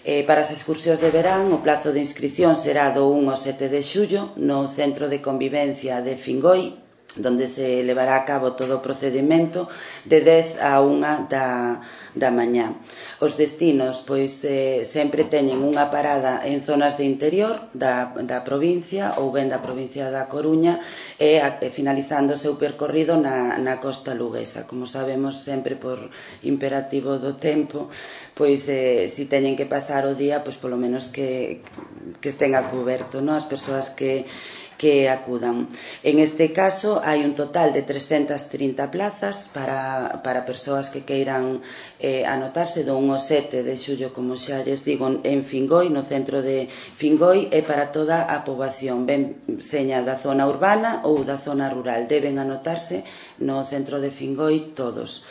Para as excursións de verán, o plazo de inscripción será do 1 ao 7 de xullo no Centro de Convivencia de Fingoi, donde se levará a cabo todo o procedimento de 10 a 1 da mañá. Os destinos, pois, sempre teñen unha parada en zonas de interior da provincia ou ben da provincia da Coruña e finalizando o seu percorrido na costa luguesa. Como sabemos, sempre por imperativo do tempo, pois si teñen que pasar o día, pois polo menos que estén a cuberto, non? As persoas que acudan. En este caso hai un total de 330 plazas para persoas que queiran anotarse do 1 ao 7 de xullo, como xa lles digo, en Fingoi, no centro de Fingoi, e para toda a poboación, ben seña da zona urbana ou da zona rural. Deben anotarse no centro de Fingoi todos.